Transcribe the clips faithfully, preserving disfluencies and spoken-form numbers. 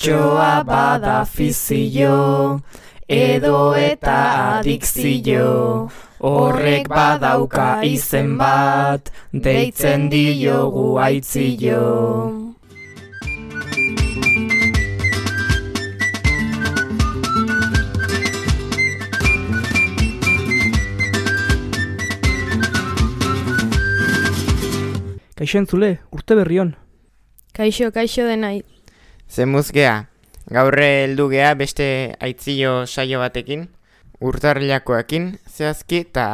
Bertsoa bada fizio, edo eta adikzio, horrek badauka izen bat, deitzen diogu aitzio. Kaixo entzule, urte berrion. Kaixo, kaixo denai. Zemuz gea, gaur heldu gea beste aitzio saio batekin, urtarrilakoekin zehazki eta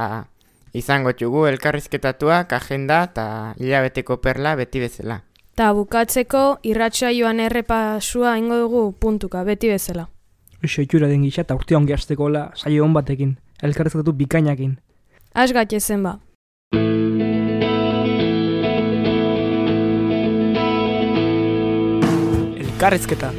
izango txugu elkarrizketatuak, agenda eta hilabeteko perla beti bezala. Ta bukatzeko irratsaioan errepasua ingo dugu puntuka beti bezala. Eixo itxura den gisa eta urte ongi hastekola saio on batekin, elkarrizketatu bikainakin. Az gaitezen ba. Elkarrizketa.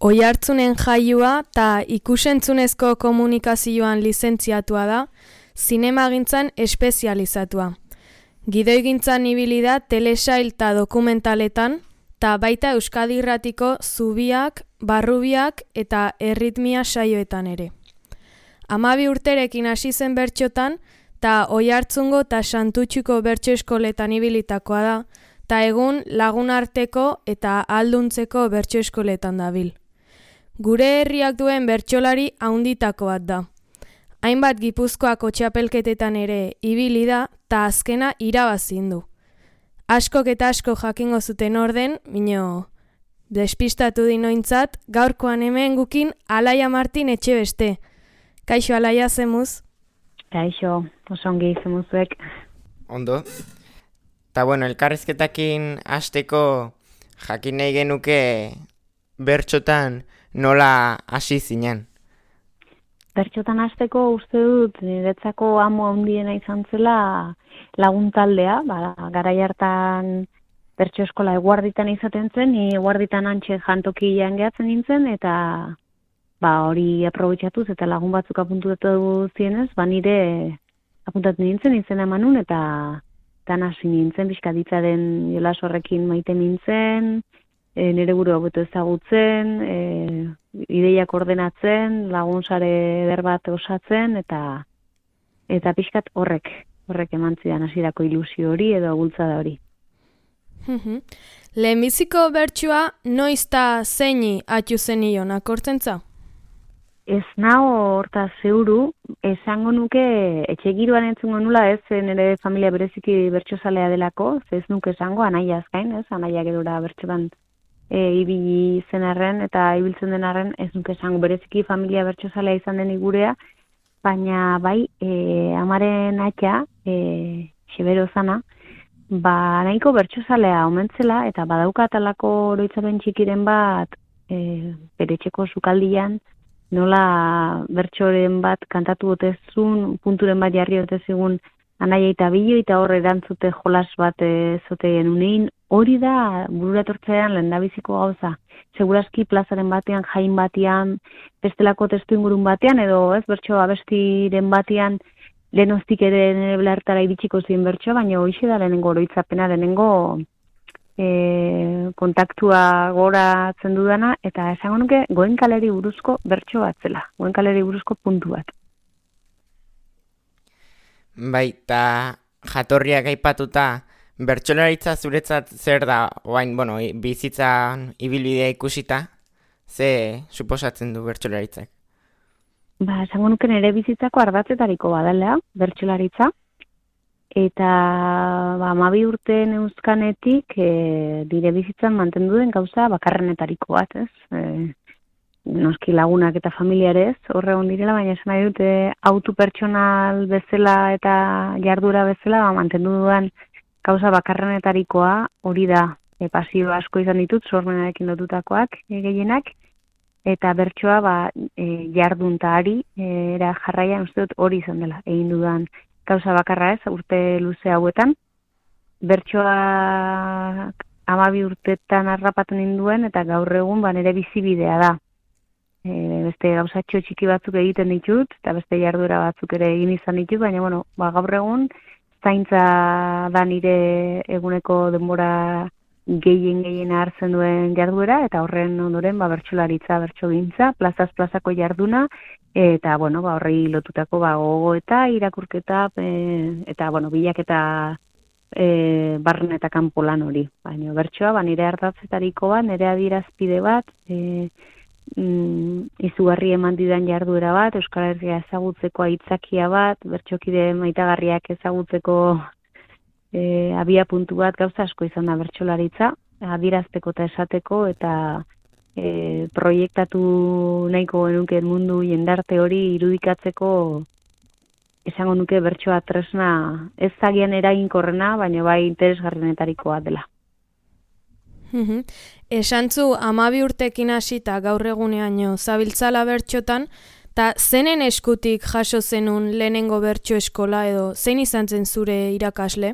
Oihartzunen jaioa eta ikusentzunezko komunikazioan lizentziatua da, zinemagintzan espezializatua. Gidoigintzan ibili da telesail eta dokumentaletan, eta baita Euskadi Irratiko Zubiak, Barrubiak eta Erritmia saioetan ere. Hamabi urterekin hasi zen bertxotan, eta Oihartzungo eta Santutxuko bertso eskoletan ibilitakoa da, eta egun Lagunarteko eta Ahalduntzeko bertso eskoletan dabil. Gure herriak duen bertsolari haunditako bat da. Hainbat Gipuzkoako txapelketetan ere ibili da, eta azkena irabazin du. Askok eta asko jakingo zuten orden, mino despistatu dinointzat, gaurkoan hemen gukin Alaia Martin etxe beste. Kaixo Alaia, zemuz? Kaixo, osongi zemuzuek. Ondo. Ta bueno, elkarrizketakin hasteko jakin nahi genuke bertxotan nola hasi zinen. Bertxotan hasteko uste dut niretzako amo handiena izan zela laguntaldea, ba, garai hartan bertso eskola eguarditan izaten zen, ni eguarditan antxe jantokian gehatzen nintzen, eta ba, hori aprobetxatuz eta lagun batzuk apuntatu zienez, ba, nire apuntatu nintzen, izena emanun, eta tan hasi nintzen, bizkaditzaren jolas horrekin maite nintzen, e, nire buru hobeto ezagutzen, e, ideiak ordenatzen, lagun sare eder bat osatzen, eta eta pixkat horrek, horrek eman zidan hasierako ilusio hori edo bultzada hori. Lehenbiziko bertsua noiz ta zeini atxu zenion akortzentza? Ez nao horta zeuru, esango nuke etxegiroan entzungo nula, ez nire familia bereziki bertsozalea delako, ez nuke esango, anaia azkain, ez, anaia gedora bertsotan e, ibili zen arren, eta ibiltzen den arren, ez nuke esango bereziki familia bertsozalea izan den gurea, baina bai, e, amaren atxa, e, xebero zana, ba nahiko bertsozalea omentzela, eta badauka atalako oroitzapen txikiren bat, e, bere etxeko sukaldian, nola bertsoren bat kantatu otezun, punturen bat jarri otezigun anaia eta bilo, eta horre erantzute jolas bat zoteen unein, hori da bururatortzean lehendabiziko gauza. Segurazki plazaren batean, jain batean, bestelako testu ingurun batean, edo ez bertso abestiren batean, lehenoztik ere nire belartara iritsiko ziren bertso, baina hoxe da lehenengo oroitzapena, lehenengo E, kontaktua goratzen dudana, eta esango nuke Goenkaleri buruzko bertso bat zela, Goenkaleri buruzko puntu bat. Baita jatorriak aipatuta, bertsolaritza zuretzat zer da, oain, bueno, bizitzan ibilbidea ikusita, ze suposatzen du bertsolaritzak? Ba, esango nuke nire bizitzako ardatzetariko badalea, bertsolaritza, eta ba, hamabi urte neuzkanetik e, dire bizitzan mantendu den gauza bakarrenetariko bat, ez? E, noski lagunak eta familiarez, horre hon direla, baina esan nahi dute autu pertsonal bezala eta jardura bezala, ba, mantendu dudan gauza bakarrenetarikoa, hori da, e, pasio asko izan ditut, sormenarekin lotutakoak e, gehienak, eta bertsoa ba, e, jarduntaari, e, era jarraian uste dut hori izan dela, egin dudan gauza bakarra ez, urte luze hauetan. Bertsoa hamabi urtetan harrapatu ninduen, eta gaur egun ba, nire bizibidea da. E, beste gauzatxo txiki batzuk egiten ditut, eta beste jarduera batzuk ere egin izan ditut, baina bueno, ba, gaur egun zaintza da nire eguneko denbora gehien gehien hartzen duen jarduera, eta horren ondoren ba, bertsolaritza, bertsogintza, plazaz plazako jarduna, eta bueno, ba, horri lotutako ba, gogo eta irakurketa, e, eta bueno, bilaketa e, barren eta kanpo lan hori. Baina bertsoa, ba, nire ardatzetariko bat, nire adierazpide bat, e, mm, izugarri eman didan jarduera bat, Euskal Herria ezagutzeko aitzakia bat, bertsokide maitagarriak ezagutzeko E, abia puntu bat gauza asko izan da bertsolaritza, adierazteko eta esateko, eta e, proiektatu nahiko genuke mundu jendarte hori irudikatzeko esango nuke bertsoa tresna ez zagian eraginkorrena, baina bai interesgarrienetarikoa dela. Esantzu hamabi urtekin hasita gaur eguneaino zabiltzala bertxotan, eta zenen eskutik jaso zenun lehenengo bertso eskola edo zein izan zen zure irakasle?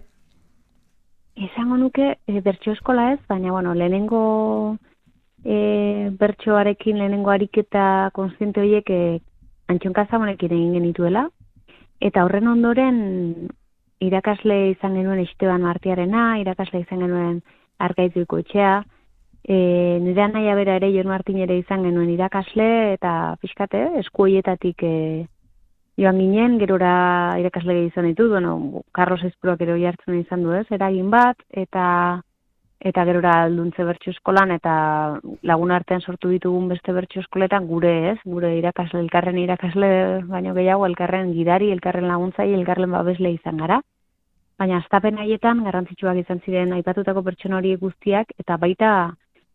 Esango nuke e, bertso eskola ez, baina bueno, lehenengo e, bertsoarekin, lehenengo ariketa konstiente horiek e, Antxon Kazamonekin egin genituela, eta horren ondoren irakasle izan genuen Esteban Martiarena, irakasle izan genuen Arkaitzuko etxea, e, nire anaia bera ere Jon Martin ere izan genuen irakasle, eta pixkate, esku horietatik e, joan ginen, gerora irakasle izan ditut, bueno, Carlos Ezpuruak ero jartzen izan du ez, eragin bat, eta eta gerora alduntze bertso eskolan, eta lagun artean sortu ditugun beste bertso eskoletan gure ez, gure irakasle, elkarren irakasle, baino gehiago elkarren gidari, elkarren laguntzai, elkarren babesle izan gara. Baina astapen haietan garrantzitsuak izan ziren aipatutako pertsona horiek guztiak, eta baita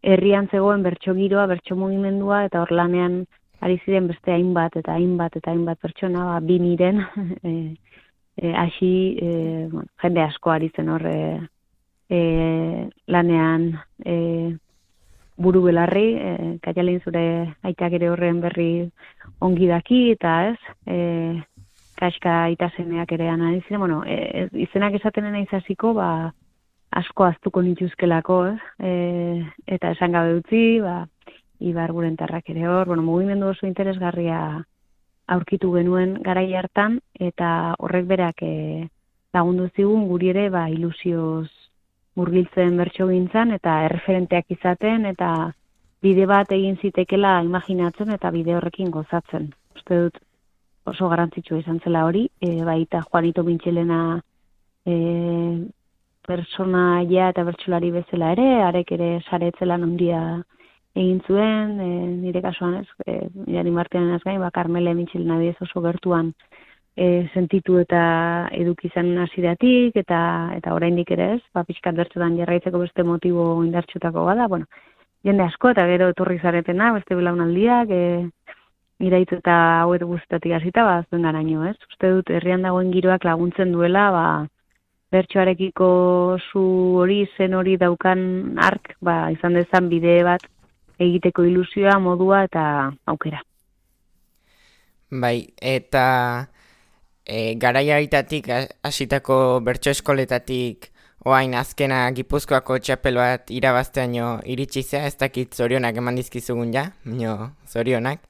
herrian zegoen bertso giroa, bertso mugimendua, eta hor lanean ari ziren beste hainbat eta hainbat eta hainbat pertsona, ba, bi miren, e, e, hasi, e, bueno, jende asko ari zen hor e, e, lanean e, buru belarri, e, Kaialin zure aitak ere horren berri ongi daki, eta ez, e, Kaska itasemeak ere anali ziren, bueno, e, izenak esaten naiz hasiko, ba, asko aztuko nituzkelako, ez, e, eta esan gabe utzi, ba, Ibar Gurentarrak ere hor, bueno, mugimendu oso interesgarria aurkitu genuen garai hartan, eta horrek berak e, lagundu zigun guri ere ba, ilusioz murgiltzen bertsogintzan, eta erreferenteak izaten, eta bide bat egin zitekela imaginatzen, eta bide horrekin gozatzen. Uste dut oso garrantzitsua izan zela hori, e, baita Juanito Mintxelena e, personaia eta bertsolari bezala ere, arek ere saretzelan handia egin zuen, e, nire kasuan ez, e, Jani Martianen ez gain, ba, Carmele Mintxelena diez oso gertuan e, sentitu eta eduki zen hasieratik, eta eta oraindik ere ez, ba, pixkat bertsotan jarraitzeko beste motibo indartsutako bada, bueno, jende asko, eta gero etorri zaretena, beste belaunaldiak, e, iraitz eta hauet guztatik hasita, ba, zuen garaino, ez? Uste dut, herrian dagoen giroak laguntzen duela, ba, bertsoarekiko zu hori, zen hori daukan ark, ba, izan dezan bide bat, egiteko ilusioa, modua eta aukera. Bai, eta e, garaia haritatik hasitako bertso eskoletatik oain azkena Gipuzkoako txapel bat irabazteaino iritsi zea, ez dakit zorionak eman dizkizugun ja, mino zorionak.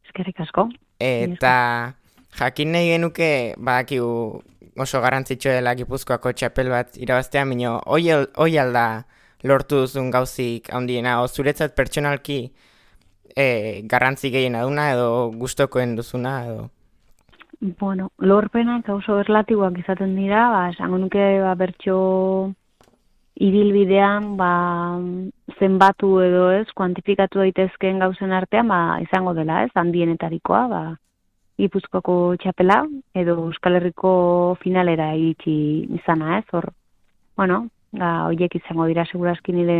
Eskerrik asko. Eta jakin nahi genuke, badakigu oso garrantzitsua dela Gipuzkoako txapel bat irabaztea, mino hoi alda lortu duzun gauzik handiena, o zuretzat pertsonalki e, garrantzi gehiena duna edo gustokoen duzuna edo? Bueno, lorpenak oso erlatiboak izaten dira, ba, esango nuke ba, bertso ibilbidean ba, zenbatu edo ez, kuantifikatu daitezkeen gauzen artean, ba, izango dela ez, handienetarikoa, ba, Gipuzkoako txapela edo Euskal Herriko finalera iritsi izana ez, hor, bueno, Ga, oiek izango dira segurazki nire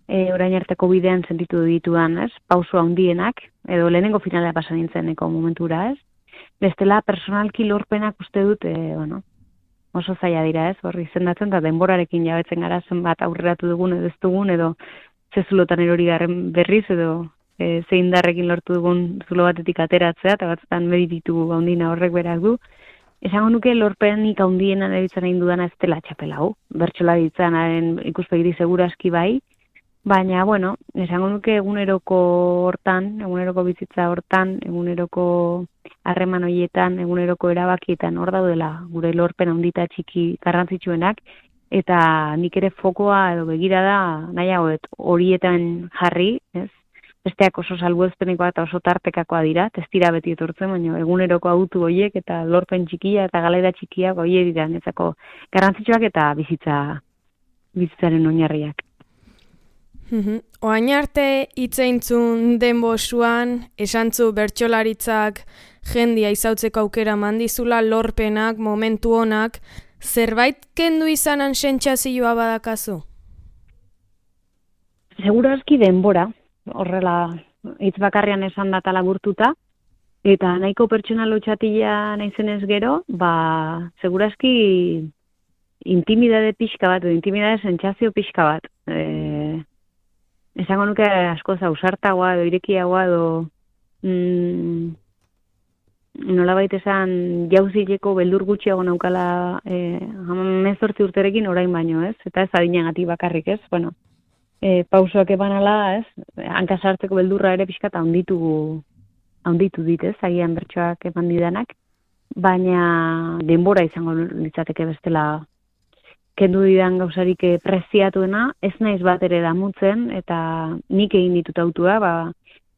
e, orain arteko bidean sentitu ditudan, ez? Pauso handienak, edo lehenengo finalea pasa nintzeneko momentura, ez? Bestela, personalki lorpenak uste dut, e, bueno, oso zaila dira, ez? Hor izendatzen, eta denborarekin jabetzen gara zenbat aurreratu dugun edo ez dugun, edo zezulotan erori garren berriz, edo e, zeindarrekin lortu dugun zulo batetik ateratzea, eta batzutan medititu handina horrek berak du. Esango nuke lorpenik handienan eritzen egin dudana ez dela txapela hau. Bertsola ditzanaren ikuspegiri seguraski bai, baina, bueno, esango nuke eguneroko hortan, eguneroko bizitza hortan, eguneroko harreman horietan, eguneroko erabakietan hor daudela gure lorpen handita txiki garrantzitsuenak, eta nik ere fokoa edo begirada nahiago horietan jarri, ez? Besteak oso salbuespenekoa eta oso tartekakoa dira, testira beti etortzen, baina eguneroko autu horiek eta lorpen txikia eta galaira txikiak horiek dira netzako garrantzitsuak eta bizitza bizitzaren oinarriak. Oain arte hitzeintzun denbosuan, esantzu bertsolaritzak jendia izautzeko aukera mandizula, lorpenak, momentu honak, zerbait kendu izanan sentsazioa badakazu? Segurazki denbora, horrela hitz bakarrian esan data laburtuta, eta nahiko pertsonal hotxatila naizenez gero, ba, segurazki intimidade pixka bat, edo intimidade sentsazio pixka bat. E, esango nuke askoz ausartagoa, edo irekiagoa, edo mm, nolabait esan jauzileko beldur gutxiago naukala e, hamazortzi urterekin orain baino, ez? Eta ez adinagatik bakarrik, ez? Bueno, e, pausoak eban ala, ez? Hanka sartzeko beldurra ere pixka handitu handitu dit, ez? Agian bertsoak eman didanak, baina denbora izango litzateke bestela kendu didan gauzarik preziatuena, ez naiz bat ere damutzen, eta nik egin ditut autua, ba,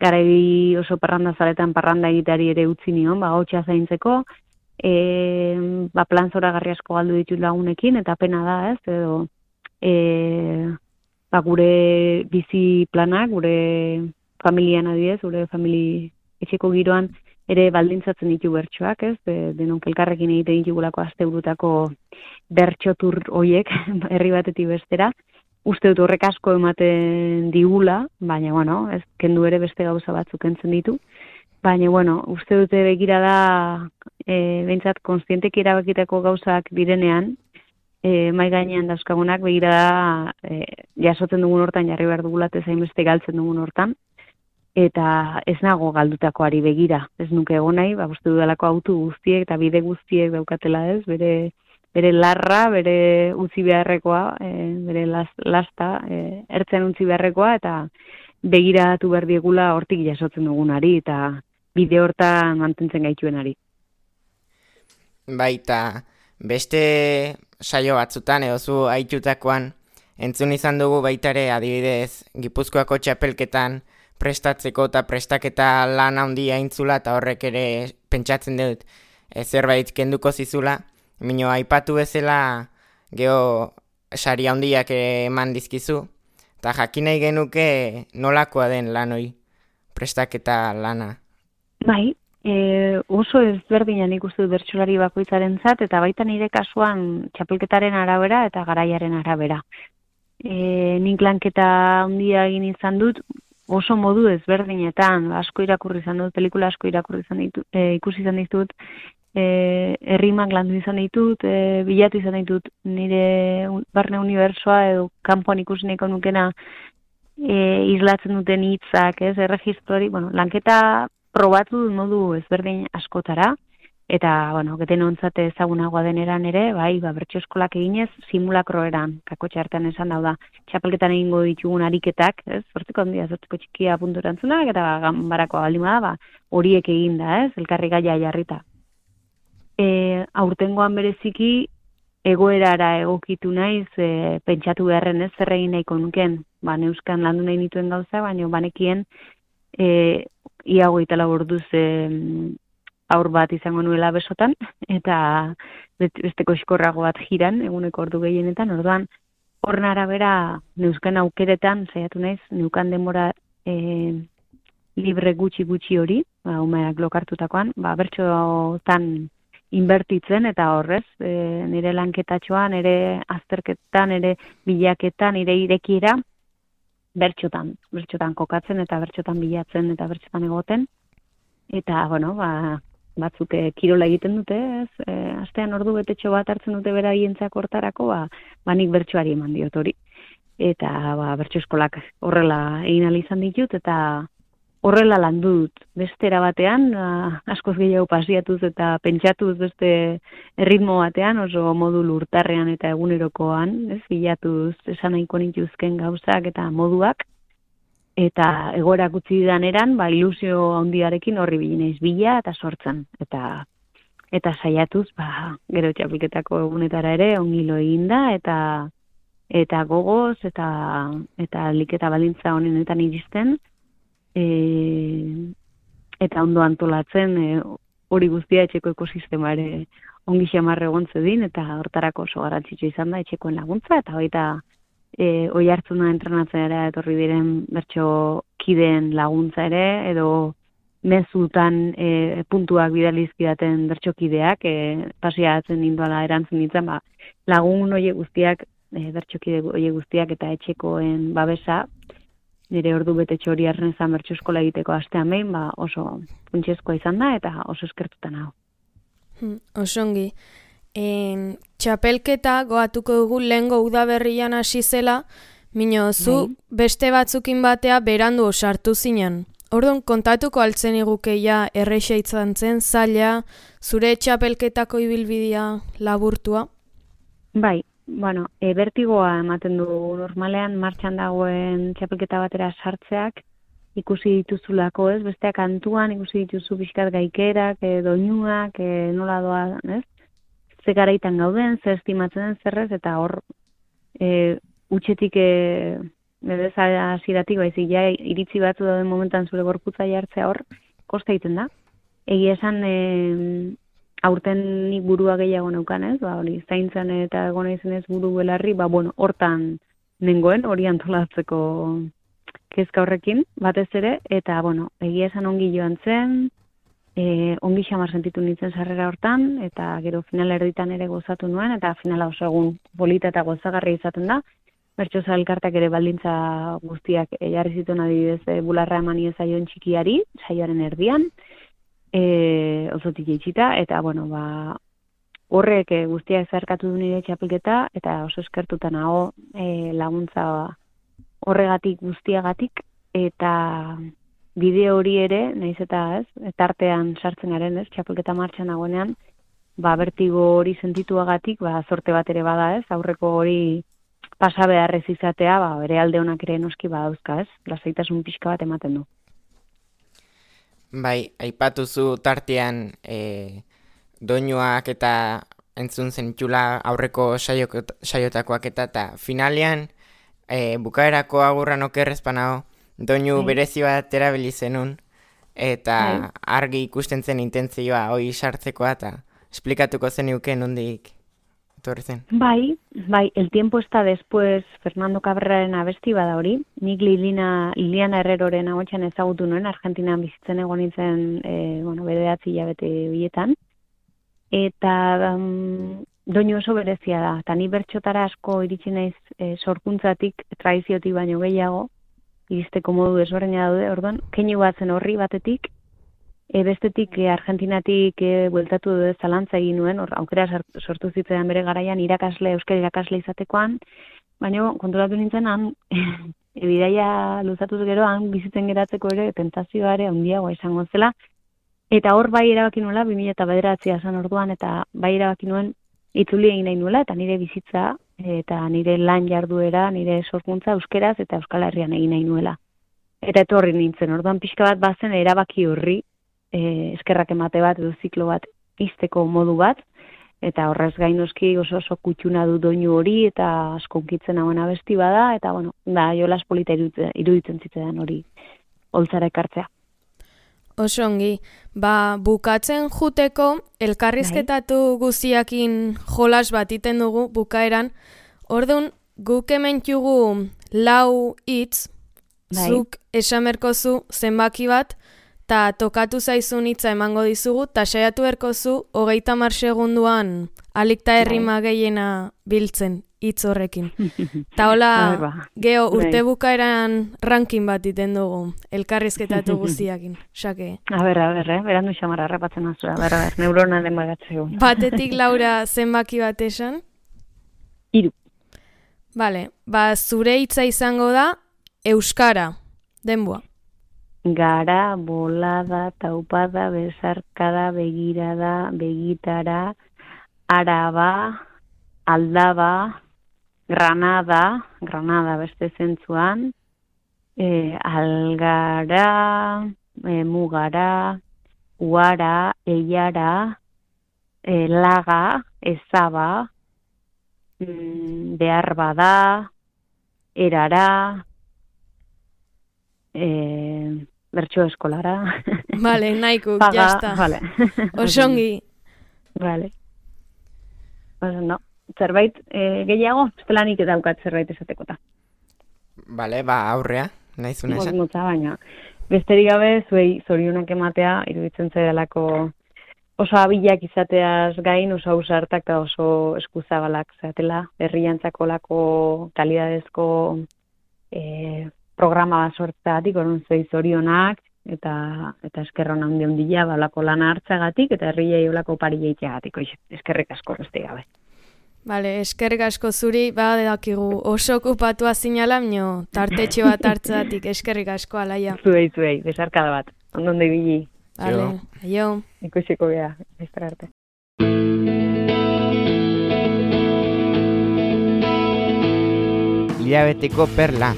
garai oso parranda zaletan parranda egiteari ere utzi nion, ba, hotxa zaintzeko, e, ba, plan zoragarri asko galdu ditut lagunekin, eta pena da, ez, edo, e, ba, gure bizi planak, gure familian adidez, gure famili etxeko giroan, ere baldintzatzen ditu bertsoak, ez, de, denok elkarrekin egiten ditugulako asteburutako bertsotur hoiek, herri batetik bestera, uste dut horrek asko ematen digula, baina, bueno, ez kendu ere beste gauza batzuk entzen ditu, baina, bueno, uste dute begira da, e, behintzat, konstienteki erabakitako gauzak direnean, e, mai gainean dauzkagunak, begira da, e, jasotzen dugun hortan, jarri behar dugulat ezain beste galtzen dugun hortan, eta ez nago galdutakoari begira, ez nuke egon nahi, ba, uste dudalako autu guztiek eta bide guztiek daukatela, ez, bere bere larra, bere utzi beharrekoa, e, bere las, lasta, e, ertzen utzi beharrekoa, eta begiratu behar diegula hortik jasotzen dugunari, eta bide hortan mantentzen gaituenari. Baita, beste saio batzutan, edo zu haitutakoan, entzun izan dugu baitare adibidez, Gipuzkoako txapelketan prestatzeko eta prestaketa lan handia intzula, eta horrek ere pentsatzen dut e, zerbait kenduko zizula, Mino, aipatu bezala geho sari handiak eman dizkizu, eta jakin nahi genuke nolakoa den lanoi prestaketa lana. Bai, e, oso ezberdinan ikustu bertsolari bakoitzaren zat, eta baita nire kasuan txapelketaren arabera eta garaiaren arabera. E, nik lanketa handia egin izan dut, oso modu ezberdinetan, asko irakurri izan dut, pelikula asko irakurri izan ditut, e, ikusi izan ditut, E, errimak landu izan ditut, e, bilatu izan ditut nire barne unibersoa edo kanpoan ikusi nahiko nukena e, islatzen duten hitzak, ez, erregistrori, bueno, lanketa probatu dut modu ezberdin askotara, eta, bueno, geten ontzate ezagunagoa deneran ere, bai, ba, bertso eskolak eginez, simulakro eran, kakotxe hartan esan dauda, txapelketan egingo ditugun ariketak, ez, zortziko handia, zortziko txikia puntu erantzunak, eta ganbarakoa baldin bada, ba, horiek eginda, ez, elkarri gaia jarrita. E, aurtengoan bereziki egoerara egokitu naiz, e, pentsatu beharren ez zer egin nahiko nuken, ba, neuskan landu nahi nituen gauza, baina banekien e, ia hogeita lau orduz e, aur bat izango nuela besotan, eta besteko eskorrago bat jiran, eguneko ordu gehienetan, orduan horren arabera neuskan aukeretan, saiatu naiz, neukan denbora e, libre gutxi-gutxi hori, ba, umeak lokartutakoan, ba, bertxotan inbertitzen eta horrez, e, nire lanketatxoan, nire azterketan, nire bilaketan, nire irekiera, bertxotan, bertxotan kokatzen eta bertxotan bilatzen eta bertxotan egoten. Eta, bueno, ba, batzuk e, kirola egiten dute, ez? E, astean ordu betetxo bat hartzen dute beraientzak hortarako, ba, ba nik bertsoari eman diot hori. Eta, ba, bertso eskolak horrela egin ahal izan ditut, eta horrela landu dut, beste erabatean, askoz gehiago pasiatuz eta pentsatuz beste erritmo batean, oso modu lurtarrean eta egunerokoan, ez, bilatuz esan nahiko nituzken gauzak eta moduak, eta egoerak utzi didan eran, ba, ilusio handiarekin horri bilineiz bila eta sortzen. Eta eta saiatuz, ba, gero txapelketako egunetara ere ongilo eginda, eta eta gogoz, eta eta liketa baldintza honenetan iristen, e, eta ondo antolatzen, e, hori guztia etxeko ekosistema ere ongi xamarre egon zedin, eta hortarako oso garrantzitsua izan da etxekoen laguntza, eta baita e, oi hartzuna entrenatzen ere etorri diren bertso kideen laguntza ere, edo mezutan e, puntuak bidalizkidaten bertsokideak, e, pasiatzen ninduala erantzun nintzen, ba, lagun oie guztiak, e, bertsokide oie guztiak eta etxekoen babesa, nire ordu betetxo hori arnezan bertso eskola egiteko astean behin, ba, oso funtsezkoa izan da, eta oso eskertuta nago. Hmm, osongi. En, txapelketa goatuko dugu lehengo udaberrian hasi zela, mino zu Bai. beste batzukin batea berandu sartu zinen. Orduan, kontatuko altzen igukeia erreixa izan zen, zaila, zure txapelketako ibilbidea laburtua? Bai, bueno, e, bertigoa ematen du normalean martxan dagoen txapelketa batera sartzeak, ikusi dituzulako, ez? Besteak kantuan ikusi dituzu pixkat gaikerak, e, doinuak, e, nola doa, ez? Ze garaitan gauden, ze estimatzen den zerrez, eta hor e, utxetik e, bedez hasieratik baizik, ja iritzi batzu dauden momentan zure gorputza jartzea hor, kosta egiten da. Egia esan, e, aurten nik burua gehiago neukan, ez? Ba, hori, zaintzan eta egon izenez buru belarri, ba, bueno, hortan nengoen, hori antolatzeko kezka horrekin, batez ere, eta, bueno, egia esan ongi joan zen, e, ongi xamar sentitu nintzen sarrera hortan, eta gero final erditan ere gozatu nuen, eta finala oso egun polita eta gozagarri izaten da. Bertsoza elkartak ere baldintza guztiak e, jarri zituen adibidez e, bularra emani ezaion txikiari, saioaren erdian, e, osotik itxita, eta, bueno, ba, horrek e, guztiak zerkatu du nire txapelketa, eta oso eskertuta nago e, laguntza horregatik guztiagatik, eta bide hori ere, nahiz eta ez, tartean sartzen garen, ez, txapelketa martxan nagoenean, ba, bertigo hori sentituagatik, ba, zorte bat ere bada, ez, aurreko hori pasa beharrez izatea, ba, bere alde honak ere noski badauzka, ez, lasaitasun pixka bat ematen du. Bai, aipatuzu tartean e, doinuak eta entzun zenitula aurreko saiok, saiotakoak eta, eta finalean e, bukaerako agurran okerrezpanao, doinu Bai. berezi bat erabili zenun, eta Bai. argi ikusten zen intentzioa hoi sartzekoa, eta esplikatuko zeniuke nondik etorri zen. Bai, bai, El tiempo está después Fernando Cabreraren abesti bada hori. Nik Liliana, Liliana Herreroren ahotsan ezagutu nuen, Argentinan bizitzen egon nintzen, e, bueno, bederatzi hilabete bietan. Eta um, doinu oso berezia da. Eta ni bertxotara asko iritsi naiz e, sorkuntzatik, tradiziotik baino gehiago, iristeko modu desberdina daude, orduan, keinu bat zen horri batetik, E, bestetik e, Argentinatik e, bueltatu dut zalantza egin nuen, or, aukera sortu zitzaidan bere garaian irakasle, euskal irakasle izatekoan, baina konturatu nintzen han, e, bidaia luzatuz gero, han bizitzen geratzeko ere, tentazioa ere handiagoa izango zela, eta hor bai erabaki nuela, bi mila bederatzia zen orduan, eta bai erabaki nuen itzuli egin nahi nuela, eta nire bizitza, eta nire lan jarduera, nire sorkuntza euskeraz eta Euskal Herrian egin nahi nuela. Eta etorri nintzen, orduan pixka bat bazen erabaki horri, E, eskerrak emate bat edo ziklo bat izteko modu bat, eta horrez gainoski oso oso kutxuna du doinu hori, eta askonkitzen hauen abesti bada, eta bueno, da, jolas polita iruditzen, iruditzen zitzean hori holtzara ekartzea. Oso ongi, ba, bukatzen juteko, elkarrizketatu guztiakin jolas bat iten dugu bukaeran, orduan guk hemen jugu lau hitz, Bai. zuk esamerkozu zenbaki bat, ta tokatu zaizun hitza emango dizugu, ta saiatu erkozu hogeita hamar segunduan alikta errima gehiena biltzen hitz horrekin. Ta hola, geho urte bukaeran ranking bat iten dugu, elkarrizketatu guztiakin. Sake. A ber, a ber, eh? Berandu xamarra harrapatzen azura, a ber, a ber, neuronaren bagatzeu. Batetik Laura zenbaki bat esan? Hiru. Vale, ba zure hitza izango da euskara, denboa. Gara, bolada, taupada, besarkada, begirada, begitara, araba, aldaba, granada, granada beste zentzuan, E, algara, e, mugara, uara, eiara, e, laga, ezaba, mm, behar bada, erara, e, bertso eskolara. Vale, nahiko, Paga, jazta. vale. Osongi. Vale. Oso, no. Zerbait e, gehiago, estelanik daukat zerbait esatekota. Bale, ba, aurrea, nahizuna esan. Motza, baina. Besterik gabe, zuei zorionak ematea, iruditzen zaidalako oso abilak izateaz gain, oso ausartak eta oso eskuzabalak zatela, herriantzako lako kalidadezko e, programa bat sortzeagatik, orduan zuei zorionak, eta eta eskerron handi handia balako lana hartzagatik, eta herriei olako pari jeiteagatik, eskerrik asko beste gabe. Bale, eskerrik asko zuri, badakigu oso okupatua zinala, mino tartetxo bat hartzatik, eskerrik asko, Alaia. Zuei, zuei, besarkada bat, ondon ibili. Bale, aio. Ikusiko gea, bestra arte. Hilabeteko perla.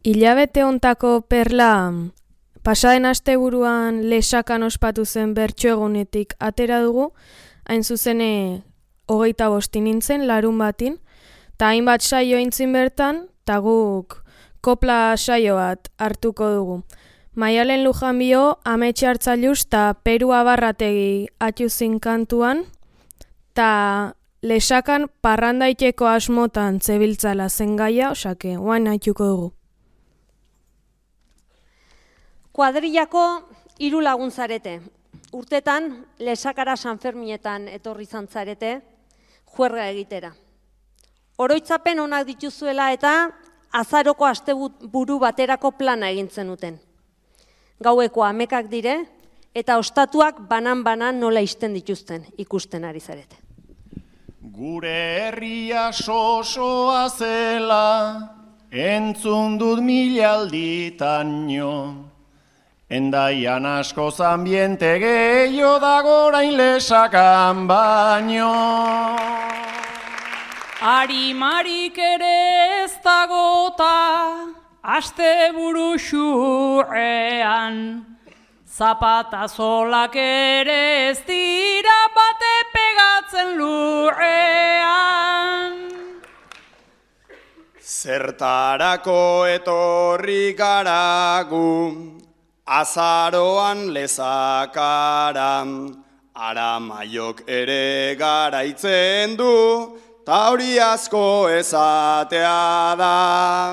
Hilabete hontako perla pasaden asteburuan lesakan ospatu zen bertso egunetik atera dugu, hain zuzene hogeita bosti nintzen larun batin, eta hainbat saio intzin bertan, eta guk kopla saio bat hartuko dugu. Maialen Lujanbio, Ametxe Hartzailuz eta Peru Abarrategi atxuzin kantuan, eta lesakan parrandaiteko asmotan zebiltzala zen gaia, osake, oain haituko dugu. Kuadrillako hiru lagun zarete. Urtetan, lesakara Sanferminetan etorri izan zarete, juerga egitera. Oroitzapen onak dituzuela eta azaroko asteburu baterako plana egin zenuten. Gaueko amekak dire eta ostatuak banan-banan nola isten dituzten ikusten ari zarete. Gure herria sosoa zela, entzun dut mila alditan jo. Endaian asko zambiente gehiago dagorain lesakan baino. Arimarik ere ez dagota, asteburu xurrean, zapata zolak ere ez dira bate pegatzen lurrean. Zertarako etorri garagu, azaroan lezakara, aramaiok ere garaitzen du, ta hori asko esatea da.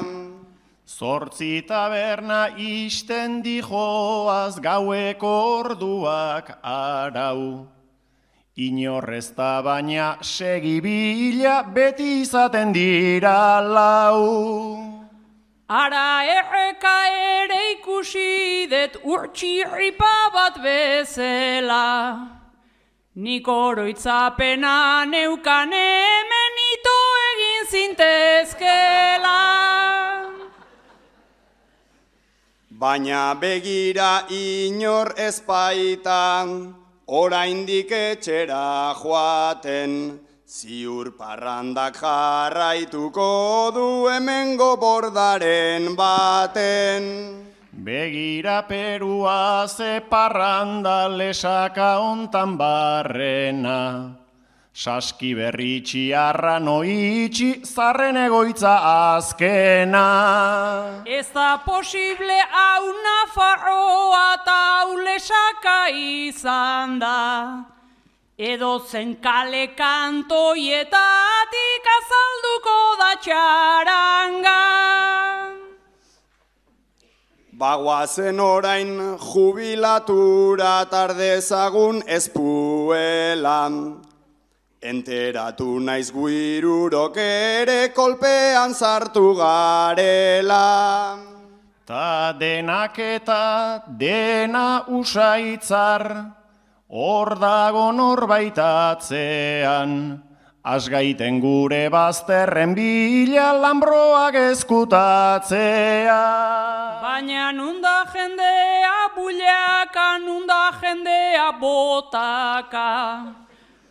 Zortzi taberna isten dijoaz gaueko orduak arau. Inorrez da baina segibila beti izaten dira lau. Ara erreka ere ikusi det urtsirripa bat bezala, nik oroitzapena neukan hemen ito egin zintezkela. Baina begira inor ezpaitan, oraindik etxera joaten, ziur parrandak jarraituko du hemengo bordaren baten. Begira Perua ze parranda lesaka ontan barrena, saski berri txiarra noitxi zarren egoitza azkena. Ez da posible hau Nafarroa eta hau lesaka izan da, edo zen kale kantoietatik azalduko da txaranga. Bagoazen orain jubilatura tardezagun ezpuela, enteratu naiz guirurok ere kolpean sartu garela. Ta denak eta dena usaitzar, hor dago norbaitatzean, asgaiten gure bazterren bila lambroak eskutatzea. Baina nunda jendea buleaka, nunda jendea botaka,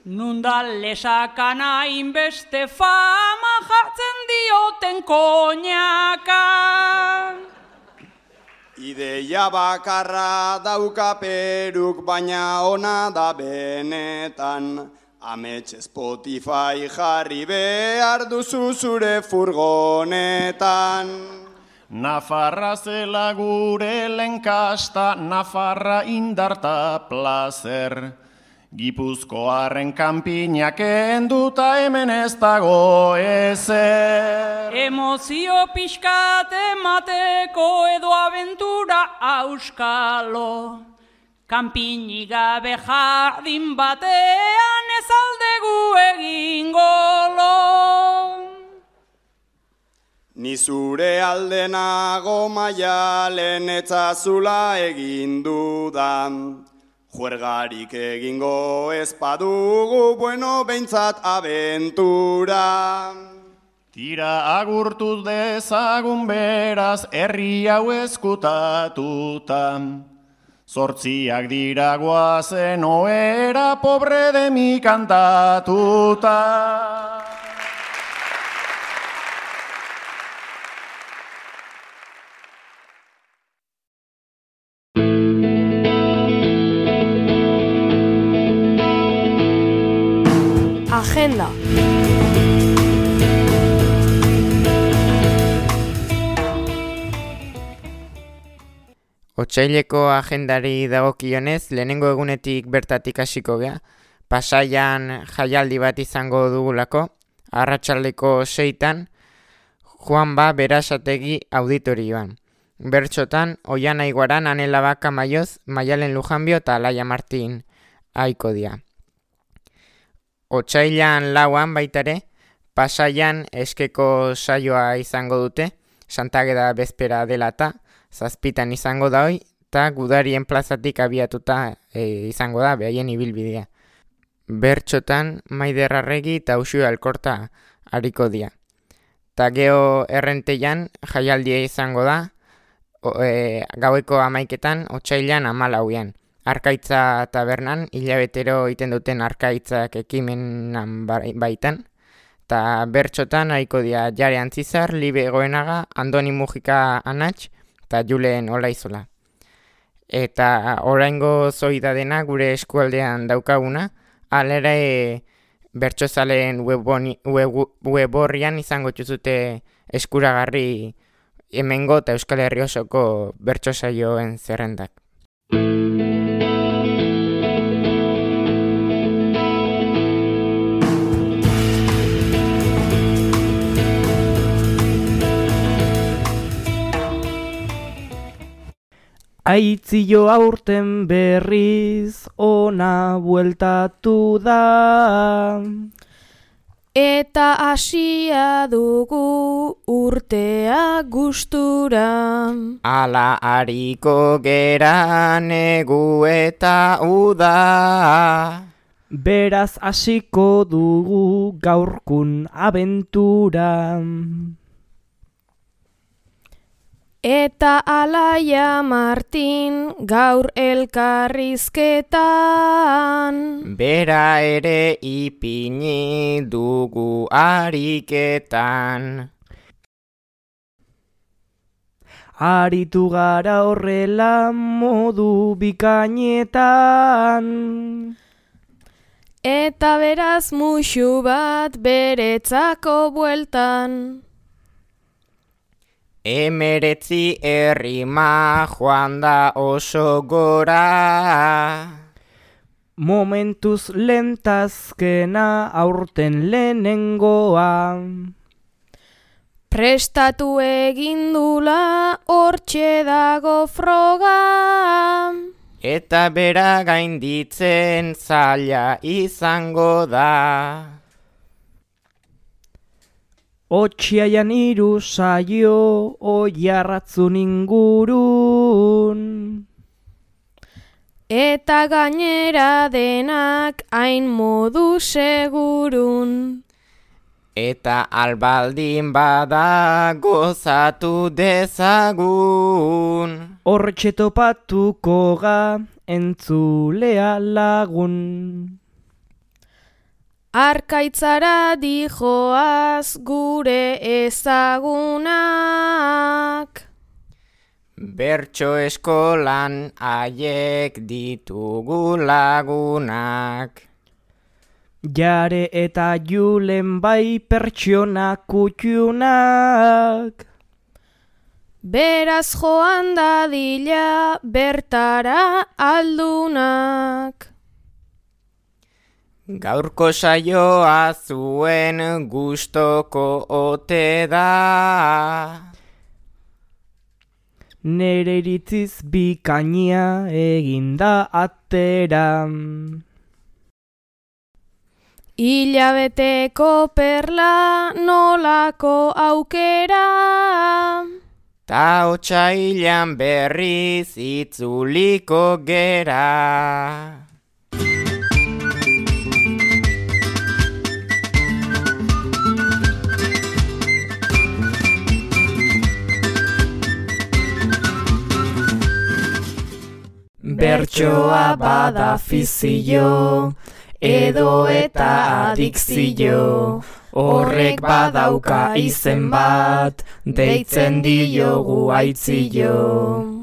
Nunda lesakana inbeste fama jartzen dioten koñaka. Ideia bakarra dauka Peruk, baina ona da benetan. Amets Spotify jarri behar duzu zure furgonetan. Nafarra zela gure lenkasta, Nafarra indarta plazer. Gipuzkoarren kanpinak enduta hemen ez dago ezer. Emozio pixkat emateko edo abentura auskalo. Kanpinik gabe jardin batean ez aldegu egingo lo. Ni zure aldenago Maialen etzazula egin dudan. Juergarik egingo ez badugu, bueno, behintzat abentura. Tira agurtuz dezagun beraz, herri hau eskutatuta. Zortziak dira guazen oera, pobre de mi kantatuta. Agenda. Otsaileko agendari dagokionez, lehenengo egunetik bertatik hasiko gea. Pasaian jaialdi bat izango dugulako, arratsaldeko seitan, Juanba Berasategi auditorioan. Bertxotan, Oiana Iguaran, Anela Baka Maioz, Maialen Lujanbio eta Alaia Martin aiko dia. Otsailan lauan baitare, Pasaian eskeko saioa izango dute, Santageda bezpera dela eta zazpitan izango da hoi, eta Gudarien plazatik abiatuta e, izango da, behaien ibilbidea. Bertxotan, Maider Arregi eta Uxue Alkorta hariko dia. Ta geho Errenteian jaialdia izango da, o, e, gaueko amaiketan, otsailan hamalauean. Arkaitza tabernan, hilabetero iten duten arkaitzak ekimenan baitan. Ta bertxotan hariko dia Jare Antzizar, Libe Goenaga, Andoni Mujika Anatx, eta Julen Olaizola. Eta oraingo zoida dena gure eskualdean daukaguna, alera e, bertsozaleen weboni, web, weborrian izango txuzute eskuragarri hemengo eta Euskal Herri osoko bertsosaioen zerrendak. Aitzio aurten berriz ona bueltatu da. Eta hasia dugu urtea gustura. Ala hariko gera negu eta uda. Beraz hasiko dugu gaurkun abentura. Eta Alaia Martin gaur elkarrizketan. Bera ere ipini dugu ariketan. Aritu gara horrela modu bikainetan. Eta beraz muxu bat beretzako bueltan. Emeretzi errima joan da oso gora. Momentuz lentazkena aurten lehenengoa. Prestatu egindula hortxe dago froga. Eta bera gainditzen zaila izango da. Otxiaian hiru saio oiarratzun ingurun. Eta gainera denak hain modu segurun. Eta albaldin bada gozatu dezagun. Hortxe topatuko ga entzulea lagun. Arkaitzara dijoaz gure ezagunak. Bertso eskolan haiek ditugu lagunak. Jare eta Julen bai pertsona kutxunak. Beraz joan dadila bertara aldunak. Gaurko saioa zuen gustoko ote da. Nere iritziz bikainia eginda atera. Hilabeteko perla nolako aukera. Ta otsailean berriz itzuliko gera. Bertsoa bada fizio, edo eta adikzio, horrek badauka izen bat, deitzen diogu aitzio.